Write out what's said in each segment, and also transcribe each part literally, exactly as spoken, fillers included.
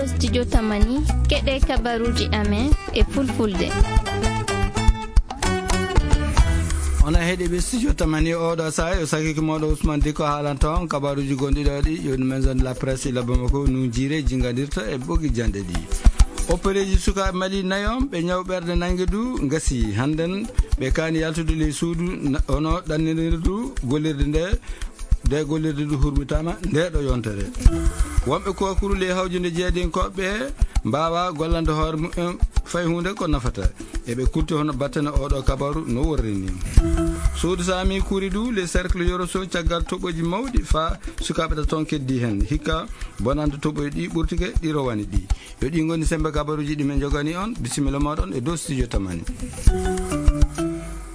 Studio Tamani, keɗe kabaruji amen e fulfulde. Ona heɗi ɓe studio Tamani oɗo saha, yo sakiki moɗo Ousmane Diko haalanta on kabaruji gonɗi ɗo ɗi, yo ɗum maison de la presse ila Bamako nun jiire jingadirta e ɓogi jande ɗi. Opéreji sukaɓe Mali nayon ɓe ñaw ɓerde nangue du ngasi. Handen ɓe kani yaltude ley suudu na-, ono ɗannirdu gollirde nde, nde gollirde du hurmitama nde ɗo yontere. Wonɓe kokuru ley hawjude jeeyadinkoɓe mbawa gollande hoore mumen fay hunde ko nafata. Eɓe kulti hono battane oɗo kabaru no worri ni. Suudu Sami kuri du le cercle Yoroso caggal toɓoji mawɗi fa sukaɓe ta ton keddi hen. Hikka bonande toɓoji ɗi ɓurtike ɗi rowani ɗi. Yo ɗi ngoni sembe kabaruji ɗi men jogani on. Bisimilla moɗon e dow studio Tamani.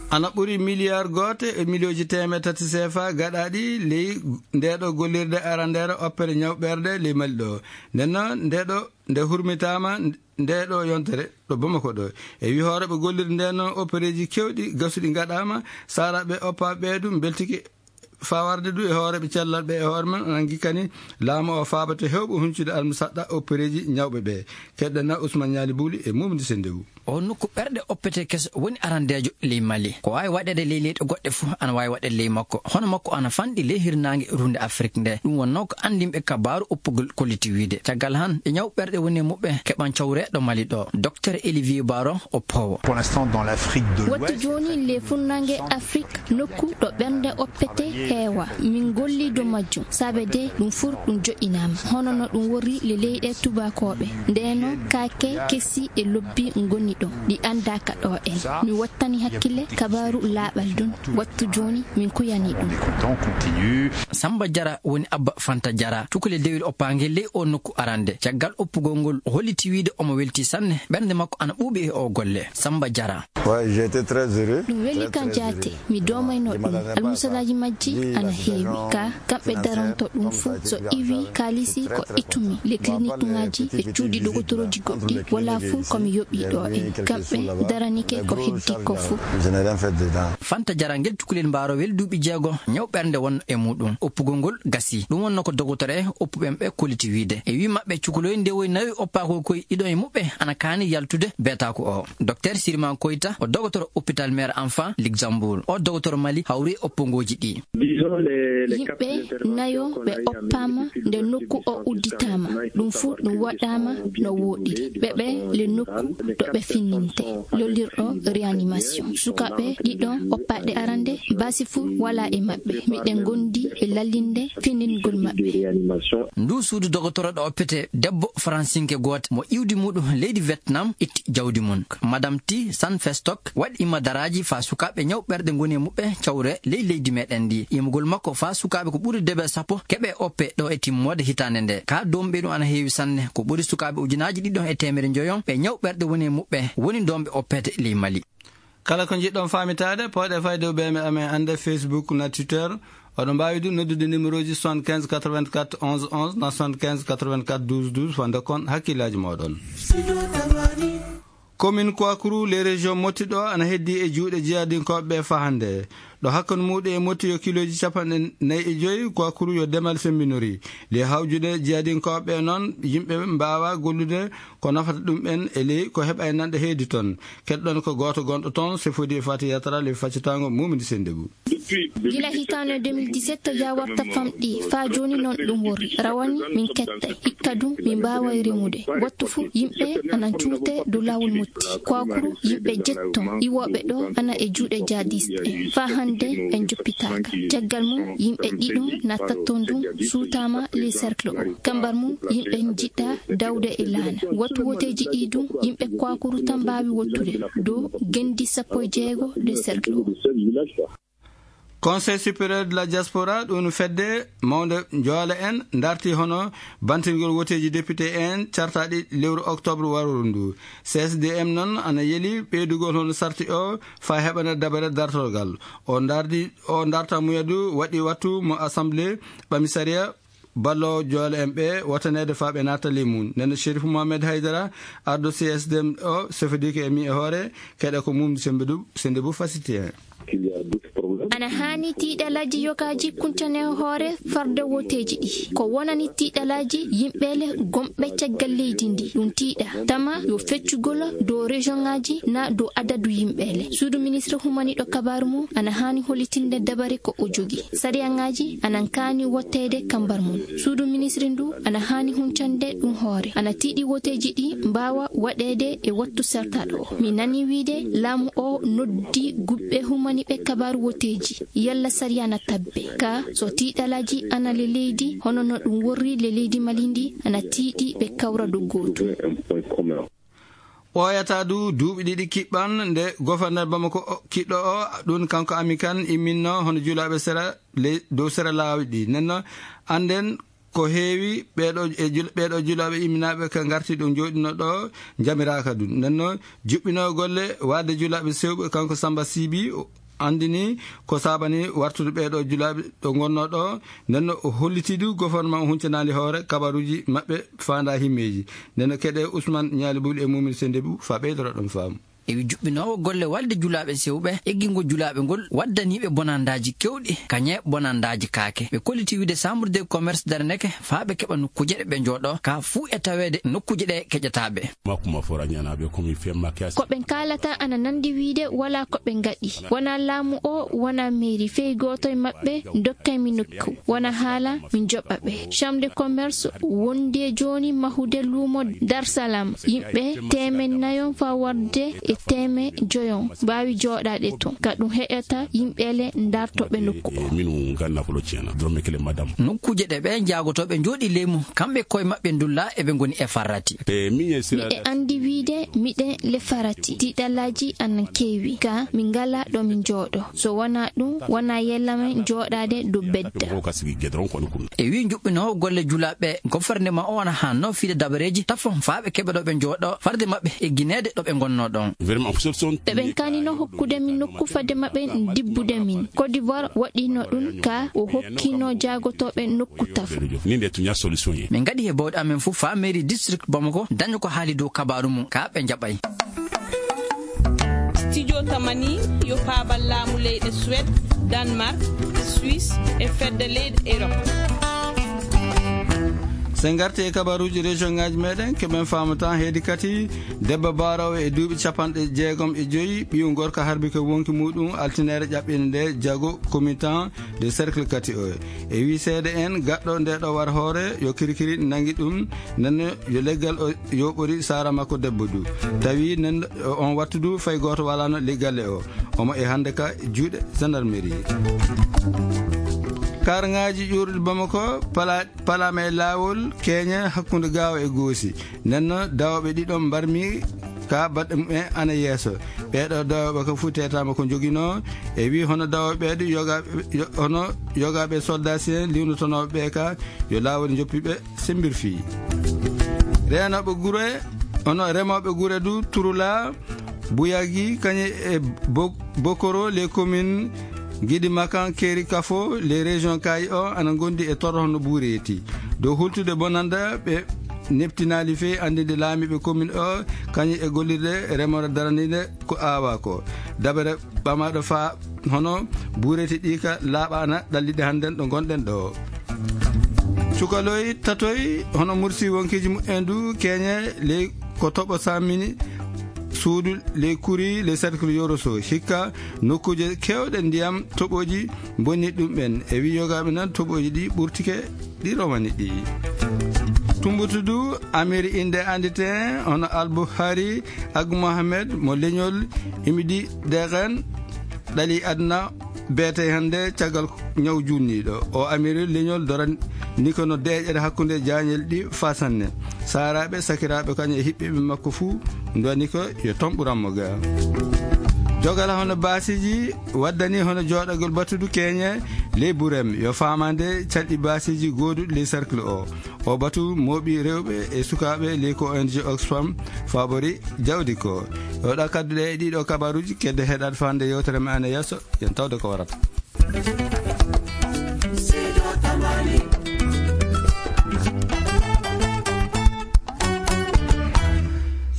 Ana ɓuri miliyar goote e miliyoji teemeɗe tati C F A gaɗaɗi ley ndeɗo gollirde arandere oppere ñawɓerde ley Mali ɗo. Nden noon ndeɗo nde hurmitama ndeɗo yontere ɗo Bamako ɗo. E wi hooreɓe gollirde nden noon opereji kewɗi gasuɗi gaɗama, saraɓe oppaɓe ɓe ɗum beltike fawarde du e hooreɓe cellal ɓe e hoore mum nangi kani laamu o faabata hewɓe huncude almusaɗɗa oppereji ñawɓe ɓe. Keɗɗana Ousmane Ñaali Buuli e Mumdi Sendewu. O nokku ɓerɗe oppete keso woni arandeejo ley Mali. Ko waawi waɗeede ley leyɗe goɗɗe fof ana waawi waɗeede ley makko. Hono makko ana fanɗi ley hirnaange runde Afrik nde. Ɗum wonnoo ko anndinɓe kabaaru oppugol kolliti wiide. Caggal han, ɓe ñaw ɓerɗe woni e muɓɓe keɓan cawre ɗo Mali ɗo. Docteur Olivier Baro o poowo. Pour l'instant, dans l'Afrique de l'Ouest, wattu jooni ley funnaange Afrik, nokku ɗo ɓernde oppete heewa. Min golli dow majjum, saabe de ɗum fur ɗum joƴƴinaama. Hono no ɗum worri le leyɗe tubakooɓe. Ndeno kaake kesi e lobbi ngoni ɗo, ɗi anndaaka ɗo en. Mi wattani hakkille kabaaru laaɓal ɗum. Wattu jooni min kuyani ɗum. Samba Jara woni abba Fanta Jara. Cukule dewil oppaange ley o nokku arande. Caggal oppugol ngol, o holliti wiide omo welti sanne. Ɓernde makko ana ɓuuɓi e o golle. Samba Jara. Ouais, j'ai été très heureux. Ɗum weli kan jaate, mi doomayno ɗum. Almusalaaji majji ana heewi. Ka kamɓe daronto ɗum fuu, so iwi kaalisi ko ittumi le clinique ŋaaji e cuuɗi dogotorooji goɗɗi, wala fuu ko mi yoɓi ɗo en. Kamɓe daranike ko heddi ko fuu. Je n'ai rien fait dedans. Fanta Jara ngel cukalel mbaarowel duuɓi jeego, ñaw ɓernde won e muɗum. Oppugol ngol gasi. Ɗum wonno ko dogotore oppuɓe ɓe kolliti wiide. E wi maɓɓe cukalooji ndewoy nawi oppaako koy ɗiɗo e muɓɓe ana kaani yaltude beetaaku o. Docteur Sirima Koita, o dogotoro hôpital mère enfant Luxembourg. O dogotoro Mali hawri e oppongooji ɗi. Yimɓe nayo ɓe oppaama nde nokku o udditaama. Ɗum fuu ɗum waɗaama no wooɗiri. Ɓe ɓe le nokku ɗo ɓe finninte, lollirɗo réanimation. Sukaaɓe ɗiɗo oppaaɗe arande, baasi fuu wala e maɓɓe. Miɗen ngondi e lallinde finningol maɓɓe. Ndu suudu dogotoro ɗo oppete debbo faransinke gooto mo iwdi muɗum leydi Vietnam itti jawdi mum. Madame Ti San Festok waɗi imadaraaji faa sukaaɓe ñaw ɓerɗe ngoni e muɓɓe cawre ley leydi meɗen ndi. Imugol makko faa sukaaɓe ko ɓuri debe sappo keɓe oppe ɗo e timmoode hitaande nde. Ka doomɓe ɗum ana heewi sanne, ko ɓuri sukaaɓe ujunaaji ɗiɗo e teemere njoyon ɓe ñaw ɓerɗe woni e muɓɓe woni doomɓe oppete ley Mali. Kala ko njiɗɗon faamitaade, pooɗe fayde o B M amen annde Facebook na Twitter. Oɗon mbaawi ɗum noddude numéro ji soixante-quinze quatre-vingt-quatre onze onze na soixante-quinze quatre-vingt-quatre douze douze, fande kon hakkillaaji mooɗon. Commune Kouakourou, les régions Moti ɗo ana heddi e juuɗe jihadinkooɓe ɓe faa hannde. Ɗo hakkunde muɗum e Moti yo kilooji capanɗe nayi e joyi, Kouakourou yo demal semmbinori. Ley hawjude jihadinkooɓe ɓe noon, yimɓe mbaawa gollude ko nafata ɗum en e ley ko heɓa e nanɗe heedi toon. Keɗɗon ko gooto gonɗo toon, Sefodi e Fati Yatara, ley faccitaango Mumini Sendebu. Gila hitaande deux mille dix-sept, jaawarta famɗi, faa jooni noon ɗum worri. Rawani min ketta, hikka ɗum min mbaaway remude. Wattu fuu, yimɓe ana cuute dow laawol Motti. Kouakourou, yimɓe jetto, iwooɓe ɗo ana e juuɗe jihadiste en. Faa hannde en joppitaaka. Caggal mum, yimɓe ɗiɗo na tatton ɗum suutaama ley cercle o. Kambar mum, yimɓe njiɗa dawde e laana. Wattu woteeji ɗi ɗum, yimɓe Kouakourou tan mbaawi wottude dow gendi sappo e jeego ley cercle o. Conseil supérieur de la diaspora, ɗum fedde mawnde Joole en, darti hono bantingol woteeji député en cartaaɗi lewru octobre warooru ndu. C S D M noon ana yeli ɓeydugol hono sarti o faa heɓana dabere dartorgal. O dardi, o darta muyadu waɗi wattu mo assemblée ɓami sariya ballo Joole en ɓe wataneede faa ɓe naata ley mum. Nden Chérif Mohamed Haydara, arɗo C S D M o, sefodike e mi e hoore, keɗe ko mum sembe du, sende bu fasiti en. Ana haani tiiɗalaaji yogaaji kuncane hoore farde woteeji ɗi. Ko wonani tiiɗalaaji yimɓeele gomɓe caggal leydi ndi. Ɗum tiiɗa. Tama yo feccugol dow région ŋaaji na dow adadu yimɓeele. Suudu ministre humaniɗo kabaaru mum ana haani hollitinde dabare ko o jogi. Sariyaŋaaji ana kaani wotteede kambar mum. Suudu ministre ndu ana haani huncande ɗum hoore. Ana tiiɗi woteeji ɗi mbaawa waɗeede e wattu sertaɗo. Mi nani wiide laamu o noddi gubɓe humaniɓe kabaaru woteeji. Yalla sariya na tabbe. Ka so tiiɗalaaji ana le leydi, hono no ɗum worri le leydi Mali ndi, ana tiiɗi ɓe kawra dow gootu. Ɓooyataa du duuɓi ɗiɗi kiɓɓan nde goforner Bamako o, kiɗɗo o, ɗum kanko Ami Kan imminno hono julaaɓe sera ley, dow sera laawi ɗi. Nden no annden ko heewi ɓeeɗo e jul-, ɓeeɗo julaaɓe imminaaɓe ka ngarti ɗo njooɗino ɗo njamiraaka ɗum. Nden no juɓɓinoo golle waɗde julaaɓe sewɓe kanko Samba Sibi o anndini ko saabani wartude ɓeeɗo julaaɓe ɗo ngonnoo ɗo. Nden no o holliti du goforner o huncanaali hoore kabaruuji maɓɓe faandaa himmeeji. Nden no keɗe Ousmane Ñaali Buli e Mumini Sendebu faa ɓeydoro ɗon faamu. E wi juɓɓinoowo golle walde julaaɓe sewɓe, eggingo julaaɓe ngol waddaniiɓe bonandaaji kewɗi, kañe bonandaaji kaake. Ɓe kolliti wiide Chambre de Commerce Daraneke faa ɓe keɓa nokkuuje ɗe ɓe njooɗo, ka fuu e taweede nokkuuje ɗe keƴataaɓe. Makuma fora ñanaaɓe komi fe makias. Ko ɓen kaalata ana nandi wiide wala ko ɓe ngaɗi. Wona laamu o, wona mairie, fey gooto e maɓɓe dokkay mi nokku. Wona haala, min joɓa ɓe. Chambre de Commerce wondi e jooni mahude luumo Dar Salam. Yimɓe teemen nayon faa warde e teemen joyon mbaawi jooɗaade ton. Ka ɗum heƴata yimɓeele ndartooɓe nokku o. E minu ganna ko lo cena. Doromme kele madam. Nokkuuje ɗe ɓe njaagotooɓe njooɗi leymu, kamɓe koye maɓɓe ndulla eɓe ngoni e farrati. E miñe sira. Miɗe anndi wiide miɗen le farrati. Tiiɗalaaji ana keewi. Ka min ngala ɗo min njooɗo. So wonaa ɗum, wonaa yella men jooɗaade dow bedda. Ko kasi gedron ko nukun. E wi juɓɓinoowo golle julaaɓe, gofornema o ana hanno fiide dabareeji tafo faa ɓe keɓa ɗo ɓe njooɗo, farde maɓɓe e gineede ɗo ɓe ngonnoo ɗon. Vraiment, solution. Ɓe ɓen kaanino hokkude min nokku fadde maɓɓe dibbude min. Côte d'Ivoire waɗino ɗum ka o hokkino jaagotooɓe nokku tafo. Ni nde tuña solution ye. Min ngaɗi he bawɗe amen fof faa mairie district Bamako daña ko haali dow kabaaru mum, ka ɓe njaɓay. Studio Tamani yo paabal laamu leyɗe Suède, Danemark, Suisse e fedde leyɗe Europe. So en ngartii e kabaruuji région ŋaaji meɗen, keɓen faamata heedi kadi debbo baaroowo e duuɓi capanɗe jeegom e joyi, ɓiyu gorko harbi ko wonki muɗum altinaare ƴaɓɓinde nde jago commutan de cercle kati o. E wi seede en gaɗɗo nde ɗo war hoore yo kirikiri nangi ɗum, nden yo leggal o yoɓori saara makko debbo du. Tawi nden on wattu du fay gooto walano leggal e o. Omo e hannde ka juuɗe gendarmerie. Karŋaaji ƴuurɗi Bamako pala-, palaama e laawol keñe hakkunde Gaawo e Goosi. Nden no dawɓe ɗiɗo mbarmi ka baɗɗe mumen ana yeeso. Ɓeeɗo dawɓe ka fuu teetaama ko njoginoo. E wi hono dawɓe ɓeeɗo yoga-, yo-, hono yogaaɓe soldat sien liwnotonooɓe ɓe ka yo laawol njoppi ɓe sembir fii. Reenooɓe gure, hono remooɓe gure du Turula, Buyagi, kañe e Bo-, Bokoro, les communes Gidi Makan, Keri Kafo, les régions Kayi o, ana ngondi e torro hono Buureti. Dow hultude bonanda ɓe neptinaali fey anndinde laamiiɓe commune o, kañum e gollirde remoore daraniinde ko aawaa ko. Dabere ɓamaaɗo faa hono Buureti ɗi ka laaɓaana ɗalliɗe hannden ɗo ngonɗen ɗo. Cukaloy tatoy hono mursi wonkiiji mumen du keñe ley ko toɓo sammini suudu ley kuri ley cercle Yoroso. Hikka nokkuuje keewɗe ndiyam toɓooji mbonni ɗum ɓen. E wi yogaaɓe nan toɓooji ɗi ɓurtike ɗi romani ɗi. Tumbutu du Amiri innde anndite hono Albuhari Agu Mohamed mo leñol Imidi Degen ɗali aduna beete hannde caggal ñaw junniiɗo. O Amiri leñol dorani ko no deeƴere hakkunde jaañel ɗi fasanne. Saaraaɓe, sakiraaɓe, kañum e hiɓɓeɓe makko fuu ndoni ko yo tomɓuranmo ga. Jogal hono baasiiji waddani hono jooɗagol batudu keñe ley Burem yo faamande calɗi baasiiji gooduɗi ley cercle o. O batu mooɓi rewɓe e sukaaɓe ley ko O N G Oxfam faabori jawdi ko. Yo ɗa kadduɗe e ɗiɗo kabaruuji kedde heɗaade faande yewtere men ana yeeso, yen tawde ko warata.